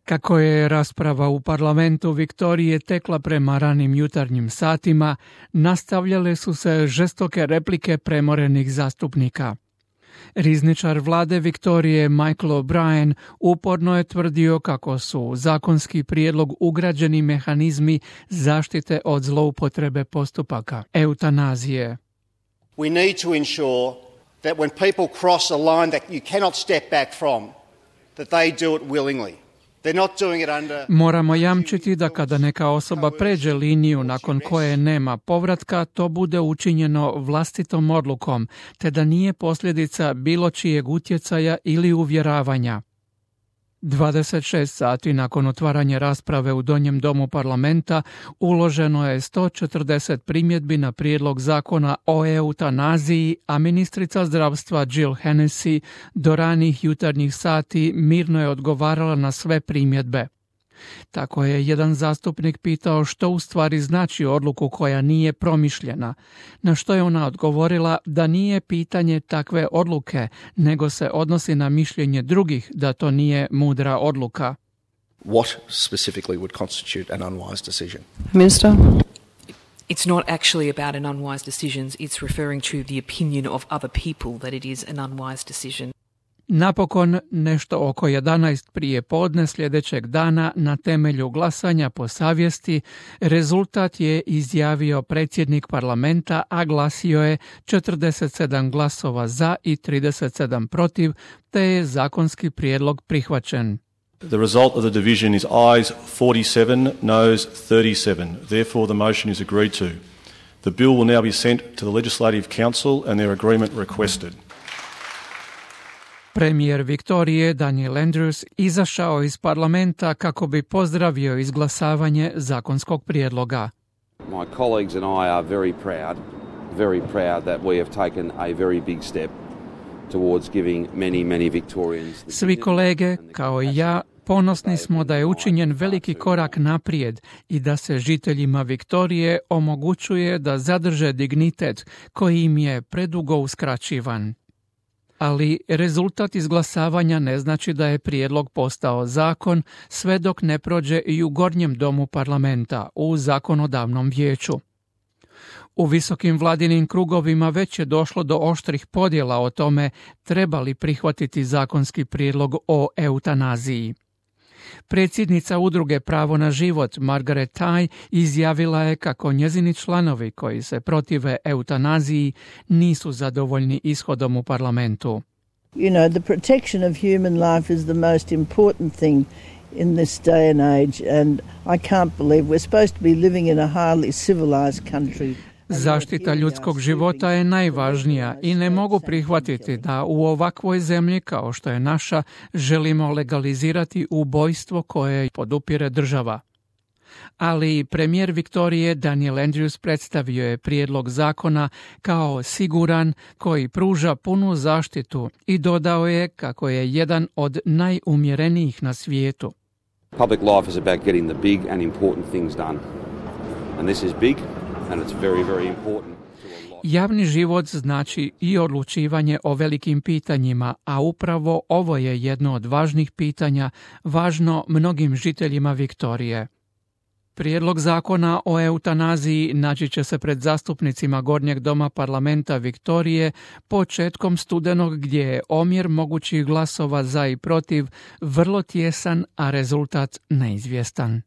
Kako je rasprava u parlamentu Viktorije tekla prema ranim jutarnjim satima, nastavljale su se žestoke replike premorenih zastupnika. Rizničar vlade Viktorije Michael O'Brien uporno je tvrdio kako su u zakonski prijedlog ugrađeni mehanizmi zaštite od zloupotrebe postupaka eutanazije. We need to ensure that when people cross a line that you cannot step back from, that they do it willingly. Moramo jamčiti da kada neka osoba pređe liniju nakon koje nema povratka, to bude učinjeno vlastitom odlukom, te da nije posljedica bilo čijeg utjecaja ili uvjeravanja. 26 sati nakon otvaranja rasprave u Donjem domu parlamenta uloženo je 140 primjedbi na prijedlog zakona o eutanaziji, a ministrica zdravstva Jill Hennessy do ranih jutarnjih sati mirno je odgovarala na sve primjedbe. Tako je jedan zastupnik pitao što u stvari znači odluku koja nije promišljena, na što je ona odgovorila da nije pitanje takve odluke, nego se odnosi na mišljenje drugih da to nije mudra odluka. What specifically would constitute an unwise decision? Minister? It's not actually about an unwise decision. It's referring to the opinion of other people that it is an unwise decision. Napokon, nešto oko 11 prije podne sljedećeg dana, na temelju glasanja po savjesti, rezultat je izjavio predsjednik parlamenta, a glasio je 47 glasova za i 37 protiv, te je zakonski prijedlog prihvaćen. The result of the division is ayes 47, noes 37. Therefore, the motion is agreed to. The bill will now be sent to the Legislative Council and their agreement requested. Premijer Viktorije Daniel Andrews izašao iz parlamenta kako bi pozdravio izglasavanje zakonskog prijedloga. My colleagues and I are very proud that we have taken a very big step towards giving many Victorians. Svi kolege, kao i ja, ponosni smo da je učinjen veliki korak naprijed i da se žiteljima Viktorije omogućuje da zadrže dignitet koji im je predugo uskraćivan. Ali rezultat izglasavanja ne znači da je prijedlog postao zakon sve dok ne prođe i u gornjem domu parlamenta, u zakonodavnom vijeću. U visokim vladinim krugovima već je došlo do oštrih podjela o tome treba li prihvatiti zakonski prijedlog o eutanaziji. Predsjednica udruge Pravo na život Margaret Tai izjavila je kako njezini članovi koji se protive eutanaziji nisu zadovoljni ishodom u parlamentu. You know, the protection of human life is the most important thing in this day and age, and I can't believe we're supposed to be living in a highly civilized country. Zaštita ljudskog života je najvažnija i ne mogu prihvatiti da u ovakvoj zemlji kao što je naša želimo legalizirati ubojstvo koje podupire država. Ali premijer Viktorije Daniel Andrews predstavio je prijedlog zakona kao siguran koji pruža punu zaštitu i dodao je kako je jedan od najumjerenijih na svijetu. Public life is about getting the big and important things done. And this is big. And it's very important. Javni život znači i odlučivanje o velikim pitanjima, a upravo ovo je jedno od važnih pitanja, važno mnogim žiteljima Viktorije. Prijedlog zakona o eutanaziji naći će se pred zastupnicima Gornjeg doma parlamenta Viktorije početkom studenog, gdje je omjer mogućih glasova za i protiv vrlo tjesan, a rezultat neizvjestan.